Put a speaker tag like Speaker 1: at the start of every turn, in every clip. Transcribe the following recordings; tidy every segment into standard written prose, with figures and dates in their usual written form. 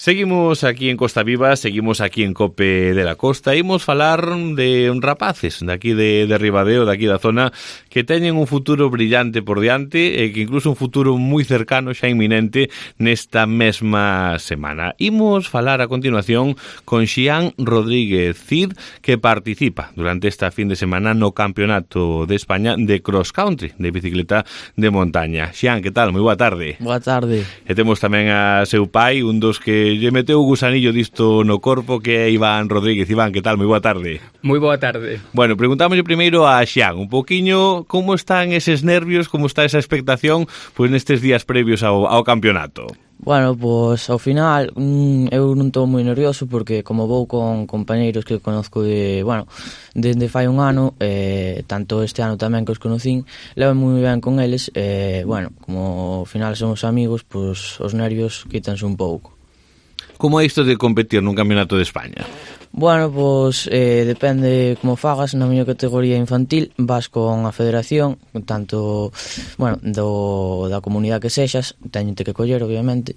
Speaker 1: Seguimos aquí en Costa Viva, seguimos aquí en Cope de la Costa. Imos falar de rapaces de aquí de Ribadeo, de aquí da zona, que teñen un futuro brillante por diante e que incluso un futuro moi cercano, xa inminente, nesta mesma semana. Imos falar a continuación con Xián Rodríguez Cid, que participa durante esta fin de semana no Campeonato de España de Cross Country, de bicicleta de montaña. Xián, que tal? Moi boa tarde.
Speaker 2: Boa tarde.
Speaker 1: E temos tamén a seu pai, un dos que lle meteu o gusanillo disto no corpo, que é Iván Rodríguez. Iván, que tal? Moi boa tarde.
Speaker 3: Moi boa tarde.
Speaker 1: Bueno, preguntámoslle primeiro a Xián un poquiño como están eses nervios, como está esa expectación pois nestes días previos ao campeonato.
Speaker 2: Bueno, pois ao final eu non estou moi nervioso porque como vou con compañeiros que conozco desde fai un ano, tanto este ano tamén que os conocín, levo moi ben con eles, como ao final somos amigos, pois os nervios quítanse un pouco.
Speaker 1: Como é isto de competir nun campeonato de España?
Speaker 2: Bueno, pois depende como fagas. Na miña categoría infantil vas con a federación, tanto, da comunidade que sexas, teñente que coller, obviamente.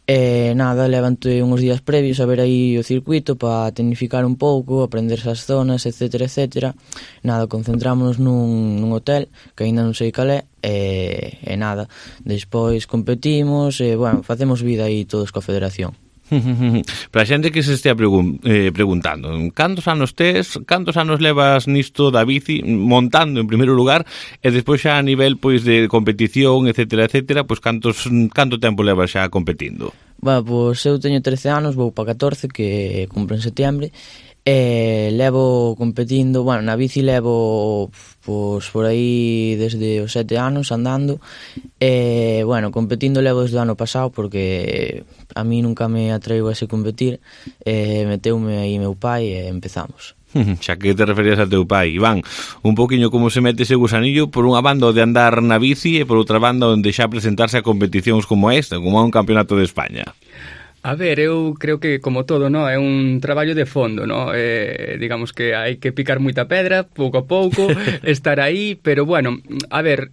Speaker 2: Levante uns días previos a ver aí o circuito para tecnificar un pouco, aprender esas zonas, etcétera, etcétera. Concentrámonos nun hotel, que aínda non sei cal é, despois competimos, facemos vida aí todos coa federación.
Speaker 1: Para a xente que se estea preguntando, cantos anos tes, cantos anos levas nisto da bici, montando en primeiro lugar, e despois xa a nivel pois de competición, etcétera, etcétera, pois canto tempo levas xa competindo?
Speaker 2: Pois eu teño 13 anos, vou para 14, que cumpro en setembro, e levo competindo, na bici levo pois por aí desde os 7 anos andando, e competindo levo desde o ano pasado porque a mí nunca me atraiu a ese competir, meteume aí meu pai e empezamos.
Speaker 1: Xa que te referías a teu pai, Iván, un poquinho como se mete ese gusanillo, por unha banda de andar na bici e por outra banda onde xa presentarse a competicións como esta, como a un campeonato de España.
Speaker 3: A ver, eu creo que, como todo, no, é un traballo de fondo, no? Digamos que hai que picar moita pedra, pouco a pouco, estar aí, pero, a ver,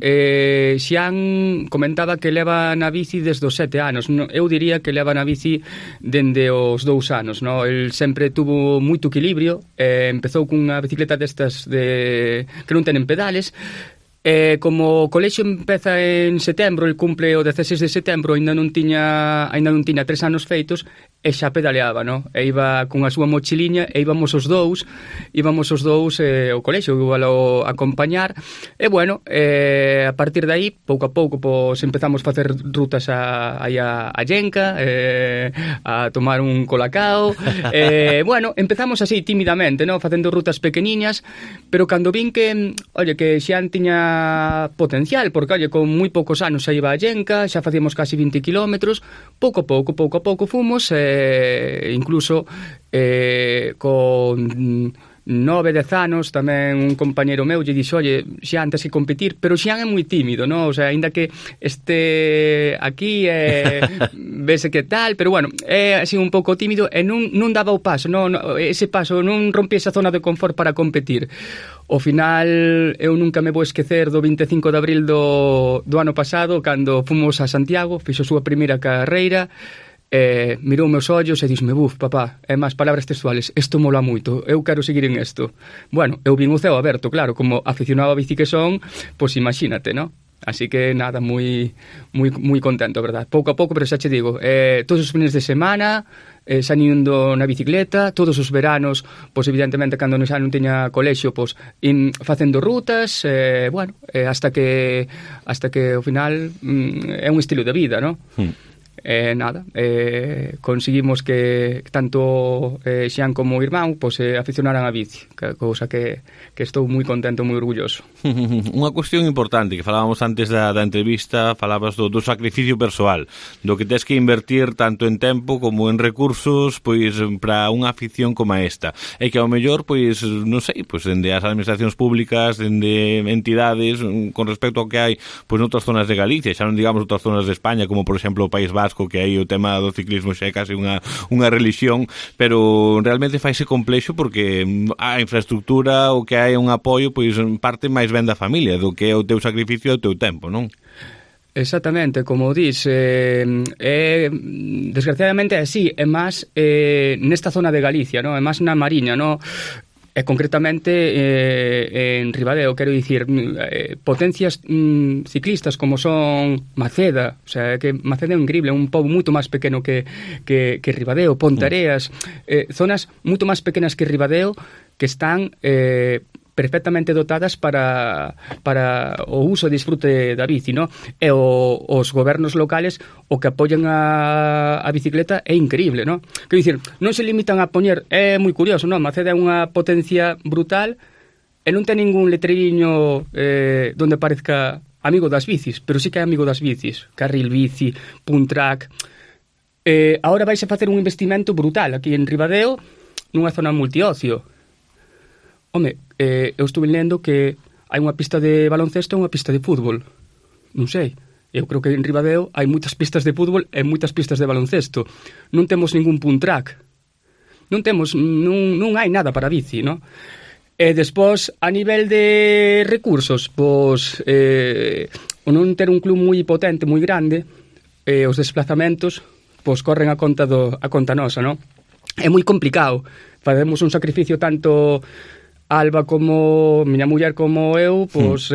Speaker 3: Xián comentaba que leva na bici desde os 7 anos, eu diría que leva na bici dende os 2 anos, no? El sempre tuvo moito equilibrio, empezou cunha bicicleta destas que non tenen pedales. Como o colexio empeza en setembro, el cumple o 16 de setembro, ainda non tiña 3 anos feitos, e xa pedaleaba, no? E iba con a súa mochiliña e íbamos os dous ao colexio, igual a acompañar, e a partir de aí, pouco a pouco, pois empezamos a facer rutas a Llenca, a tomar un colacao, empezamos así tímidamente, no? Facendo rutas pequeniñas, pero cando vin que Xián tiña potencial, porque, con moi poucos anos xa iba a Llenca, xa facíamos casi 20 kilómetros, pouco a pouco fomos, incluso con 9-10 anos tamén un compañeiro meu lle dixo, Xián, tens que competir, pero Xián é moi tímido, no? O sea, ainda que este aquí vese que tal, pero é así un pouco tímido e non daba o paso, ese paso non rompía esa zona de confort para competir. Ao final, eu nunca me vou esquecer do 25 de abril do ano pasado, cando fomos a Santiago, fixo a súa primeira carreira, mirou meus ollos e dixme, papá, é máis palabras textuales, isto mola moito, eu quero seguir en isto. Eu vin o ceo aberto, claro, como aficionado a bici que son, pois imagínate, no? Así que nada, moi contento, verdad? Pouco a pouco, pero xa che digo, todos os fines de semana, xa indo na bicicleta, todos os veranos, pois evidentemente cando xa non teña colexio, pois facendo rutas, hasta que ao final é un estilo de vida, no? Conseguimos que tanto Xián como o irmán aficionaran a bici, cousa que estou moi contento, moi orgulloso.
Speaker 1: Unha cuestión importante que falábamos antes da entrevista, falabas do sacrificio persoal, do que tes que invertir tanto en tempo como en recursos para unha afición como esta, e que ao mellor non sei, dende as administracións públicas, dende entidades, con respecto ao que hai noutras zonas de Galicia, xa non digamos outras zonas de España, como por exemplo o País Vasco, que aí o tema do ciclismo xa é case unha religión, pero realmente faise complexo porque a infraestructura, o que hai é un apoio, parte máis ben da familia do que é o teu sacrificio e o teu tempo, non?
Speaker 3: Exactamente, como dis, desgraciadamente é así, é máis nesta zona de Galicia, no? É máis na Mariña, no? E concretamente en Ribadeo, quero dicir, potencias ciclistas como son Maceda, o sea, que Maceda é increíble, é un pobo moito máis pequeno que Ribadeo, Pontareas, zonas moito máis pequenas que Ribadeo que están perfectamente dotadas para o uso e disfrute da bici, no? E os gobernos locales o que apoian a bicicleta é increíble, no? Quero dicir, non se limitan a poñer, é moi curioso, no? Maceda é unha potencia brutal e non ten ningún letreriño donde parezca amigo das bicis, pero sí que é amigo das bicis, carril bici, punt track. Ahora vais a facer un investimento brutal aquí en Ribadeo nunha zona multiocio. Home, eu estuve lendo que hai unha pista de baloncesto e unha pista de fútbol. Non sei. Eu creo que en Ribadeo hai moitas pistas de fútbol e moitas pistas de baloncesto. Non temos ningún punt track. Non hai nada para bici, non? E despois, a nivel de recursos, pois, o non ter un club moi potente, moi grande, os desplazamentos, pois, corren a conta nosa, non? É moi complicado. Facemos un sacrificio tanto Alba como miña muller como eu, pois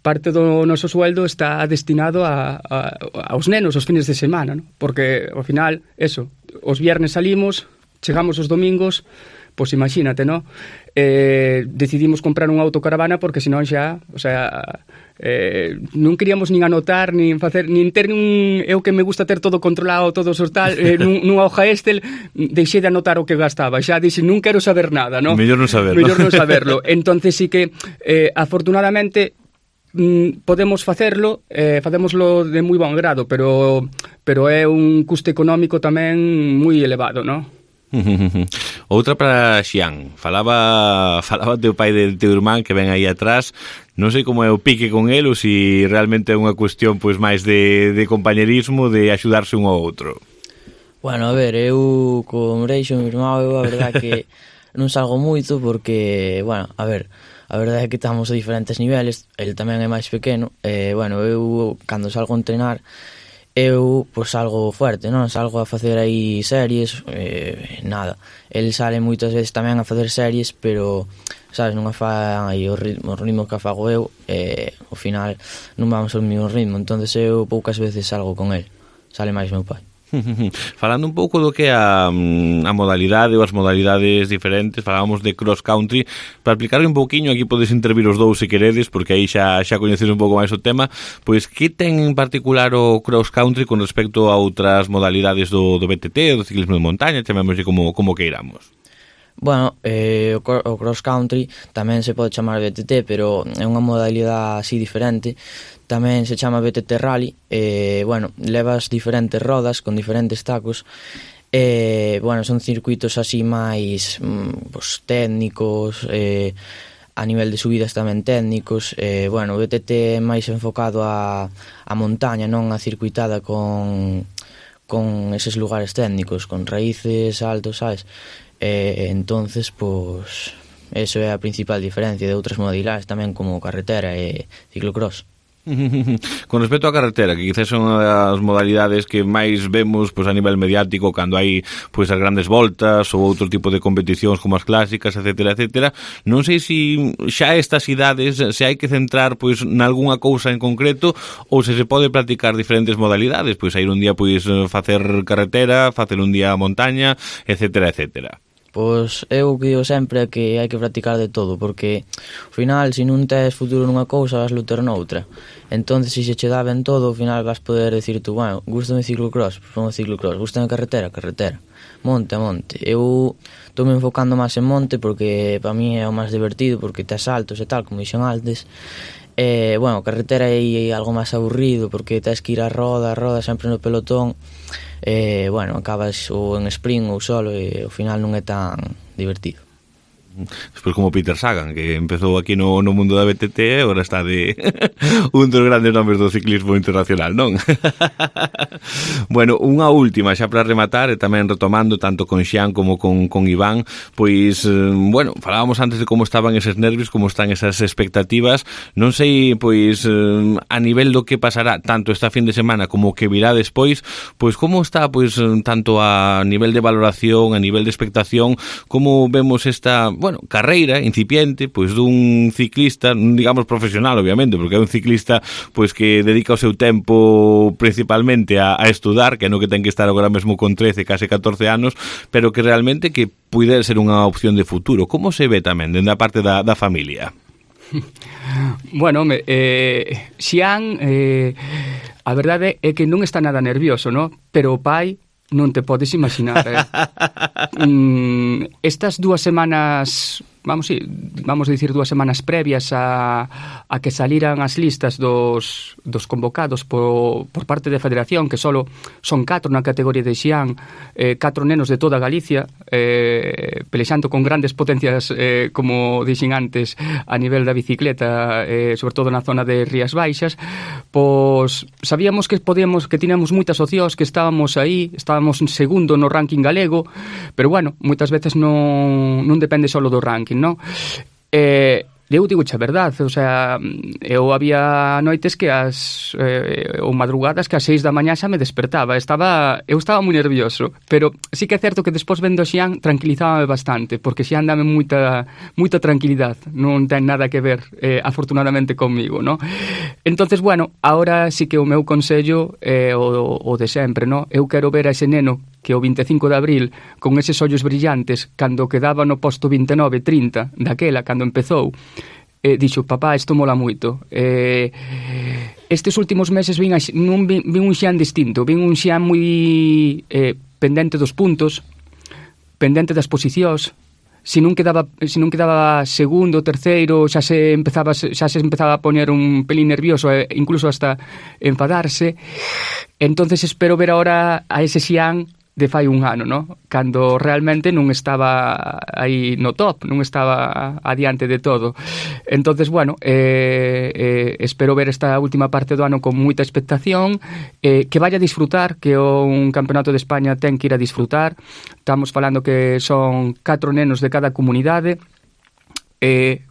Speaker 3: parte do noso sueldo está destinado aos nenos os fines de semana, ¿no? Porque ao final, eso, os viernes salimos, chegamos os domingos, pois imagínate, ¿no? Decidimos comprar unha autocaravana porque senón xa, o sea, non queríamos nin anotar, nin facer, nin ter eu que me gusta ter todo controlado, todo os tal, nunha hoja Excel, deixei de anotar o que gastaba, xa dixen, non quero saber nada, ¿no?
Speaker 1: Mellor non saberlo.
Speaker 3: Mellor non saberlo. Entonces sí que, afortunadamente, podemos facerlo, facémoslo de moi bon grado, pero é un custo económico tamén moi elevado, ¿no?
Speaker 1: Outra para Xian. Falaba teu pai del teu irmán que ven aí atrás. Non sei como é o pique con el ou se realmente é unha cuestión pois máis de compañerismo, de axudarse un ao outro.
Speaker 2: Bueno, a ver, eu con Breixo, meu irmán, eu a verdade que non salgo moito porque, bueno, a ver, a verdade é que estamos a diferentes niveles, el tamén é máis pequeno, bueno, eu cando salgo a entrenar eu pois salgo fuerte, non? Salgo a facer aí series, nada. El sale moitas veces tamén a facer series, pero sabes, non a fai o ritmo que fago eu, ao final non vamos ao mesmo ritmo, entonces eu poucas veces salgo con el. Sale máis meu pai.
Speaker 1: Falando un pouco do que a modalidade ou as modalidades diferentes, falábamos de cross country, para explicarle un pouquiño, aquí podes intervir os dous se queredes, porque aí xa coñeces un pouco máis o tema, pois que ten en particular o cross country con respecto a outras modalidades do BTT, do ciclismo de montaña, chamémoslle como queiramos.
Speaker 2: Bueno, o cross country tamén se pode chamar BTT, pero é unha modalidade así diferente. Tamén se chama BTT Rally. Bueno, levas diferentes rodas con diferentes tacos. Bueno, son circuitos así máis pues, técnicos, a nivel de subidas tamén técnicos. Bueno, o BTT é máis enfocado a montaña, non a circuitada con eses lugares técnicos, con raíces altos, sabes? Entonces, pues eso é a principal diferencia de outras modalidades tamén como carretera e ciclocross.
Speaker 1: Con respecto á carretera, que quizás son as modalidades que máis vemos pois, a nivel mediático cando hai pois, as grandes voltas ou outro tipo de competicións como as clásicas, etcétera, etcétera, non sei se xa estas idades se hai que centrar pois nalgúna cousa en concreto ou se pode practicar diferentes modalidades, pois ir un día pois facer carretera, facer un día montaña, etcétera, etcétera.
Speaker 2: Pois eu digo sempre que hai que practicar de todo, porque ao final, se non tes futuro nunha cousa, vas lutar noutra. Entonces, se che dá ben todo, ao final vas poder decir tú, bueno, gustame ciclocross, pongo ciclocross, gustame carretera, monte a monte. Eu estou me enfocando máis en monte porque para mí é o máis divertido, porque tes saltos e tal, como dixen antes. Bueno, carretera é algo máis aburrido porque tes que ir a roda sempre no pelotón. Bueno, acabas ou en sprint ou solo e ao final non é tan divertido.
Speaker 1: Despois como Peter Sagan, que empezou aquí no mundo da BTT e agora está de un dos grandes nomes do ciclismo internacional, non? Bueno, unha última xa para rematar e tamén retomando tanto con Xian como con Iván, pois, bueno, falábamos antes de como estaban eses nervios, como están esas expectativas, non sei, pois, a nivel do que pasará tanto esta fin de semana como que virá despois, pois como está, pois, tanto a nivel de valoración, a nivel de expectación, como vemos esta, bueno, carreira incipiente, pois dun ciclista, digamos profesional, obviamente, porque é un ciclista pois que dedica o seu tempo principalmente a estudar, que é no que ten que estar agora mesmo con 13, case 14 anos, pero que realmente que puide ser unha opción de futuro. Como se ve tamén dende a parte da familia?
Speaker 3: Bueno, Xian, a verdade é que non está nada nervioso, ¿no? Pero o pai non te podes imaginar, estas 2 semanas, vamos a dicir 2 semanas previas a que saliran as listas dos convocados por parte da Federación, que solo son 4 na categoría de Xian, 4 nenos de toda Galicia, pelexando con grandes potencias, como dixen antes, a nivel da bicicleta, sobre todo na zona de Rías Baixas, pois sabíamos que tiñamos moitas opcións, que estábamos aí, estábamos en segundo no ranking galego, pero bueno, moitas veces non depende só do ranking, non? Eu digo a verdade, o sea, eu había noites que ou madrugadas que ás 6 da mañá xa me despertaba, eu estaba moi nervioso, pero sí que é certo que despois vendo Xian tranquilizábame bastante, porque Xian dame moita tranquilidade, non ten nada que ver, afortunadamente, comigo, no? Entonces, bueno, ahora sí que o meu consello é o de sempre, no? Eu quero ver a ese neno que o 25 de abril, con eses ollos brillantes, cando quedaba no posto 29-30 daquela, cando empezou, dixo, papá, isto mola moito. Estes últimos meses vin un Xian distinto, vin un Xian moi pendente dos puntos, pendente das posicións. Se non quedaba segundo, terceiro, xa se empezaba a poñer un pelín nervioso, incluso hasta enfadarse. Entonces espero ver ahora a ese Xian de fai un ano, no? Cando realmente non estaba aí no top, non estaba adiante de todo. Entonces, bueno, espero ver esta última parte do ano con moita expectación, que vaya a disfrutar, que un campeonato de España ten que ir a disfrutar. Estamos falando que son 4 nenos de cada comunidade,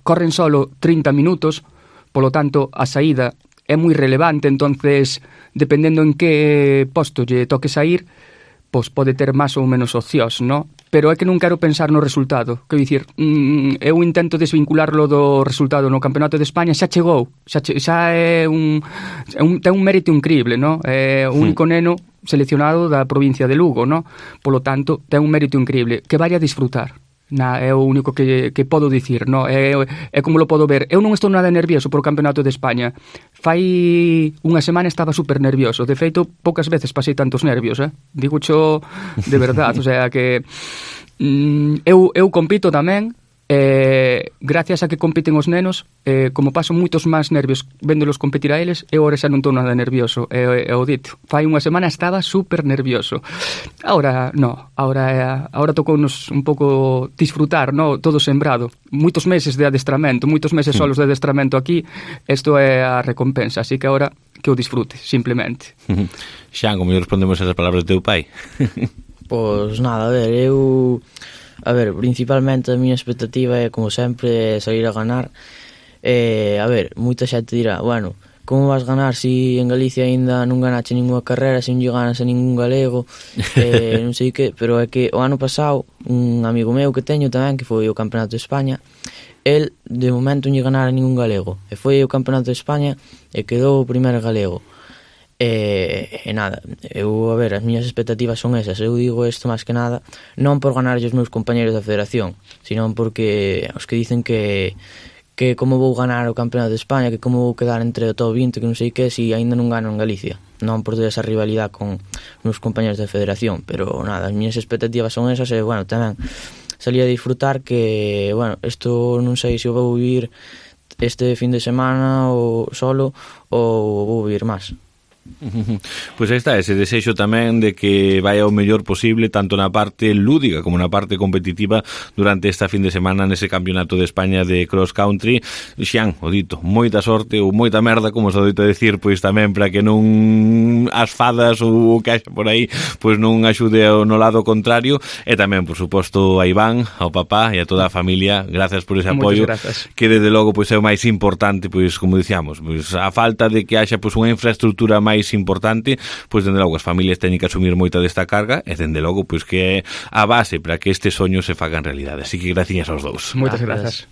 Speaker 3: corren solo 30 minutos, polo tanto, a saída é moi relevante, entonces, dependendo en que posto lle toque sair, pois pode ter máis ou menos opcións, no? Pero é que non quero pensar no resultado. Quero dicir, eu intento desvincularlo do resultado no Campeonato de España, xa chegou, xa é ten un mérito increíble, no? É o único neno seleccionado da provincia de Lugo, no? Polo tanto, ten un mérito increíble. Que vaya a disfrutar. É o único que podo dicir, no? É como lo podo ver. Eu non estou nada nervioso por o Campeonato de España. Fai unha semana estaba super nervioso. De feito, poucas veces pasei tantos nervios, digo xo de verdade. O sea que eu compito tamén, gracias a que compiten os nenos, como paso moitos máis nervios véndolos competir a eles, eu agora xa non estou nada nervioso, o dito. Fai unha semana estaba super nervioso. Ahora tocounos un pouco disfrutar, no? Todo sembrado. Moitos meses de adestramento, moitos meses solos de adestramento aquí, isto é a recompensa, así que agora que o disfrute, simplemente.
Speaker 1: Xan, como respondemos a esas palabras do teu pai?
Speaker 2: Pois nada, a ver, principalmente a miña expectativa é, como sempre, salir a ganar. Moita xente dirá, bueno, como vas ganar se en Galicia aínda non ganache ninguna carrera, se non lle ganas a ningún galego, non sei que, pero é que o ano pasado un amigo meu que teño tamén, que foi o Campeonato de España, el de momento non lle ganara ningún galego, e foi o Campeonato de España e quedou o primeiro galego. E nada, as miñas expectativas son esas. Eu digo isto máis que nada non por ganar os meus compañeros da federación, sino porque os que dicen que como vou ganar o Campeonato de España, que como vou quedar entre o top 20, que non sei que, se aínda non gano en Galicia. Non por ter esa rivalidade con os meus compañeros da federación, pero nada, as miñas expectativas son esas. E bueno, tamén salí a disfrutar, que bueno, isto non sei se o vou vivir este fin de semana ou solo, ou vou vivir máis.
Speaker 1: Pois aí está, ese desexo tamén de que vai ao mellor posible tanto na parte lúdica como na parte competitiva durante esta fin de semana nese campeonato de España de cross country. Xian, o dito, moita sorte ou moita merda, como se dito decir, pois tamén para que non as fadas ou o que haxa por aí pois non axude no lado contrario, e tamén, por suposto, a Iván, ao papá e a toda a familia, gracias por ese apoio, que desde logo pois é o máis importante, pois como dicíamos, pois a falta de que haxa pois unha infraestructura máis importante, pois dende logo as familias teñen que asumir moita desta carga e dende logo pois que é a base para que este soño se faga en realidade. Así que gracias aos dous.
Speaker 3: Moitas grazas.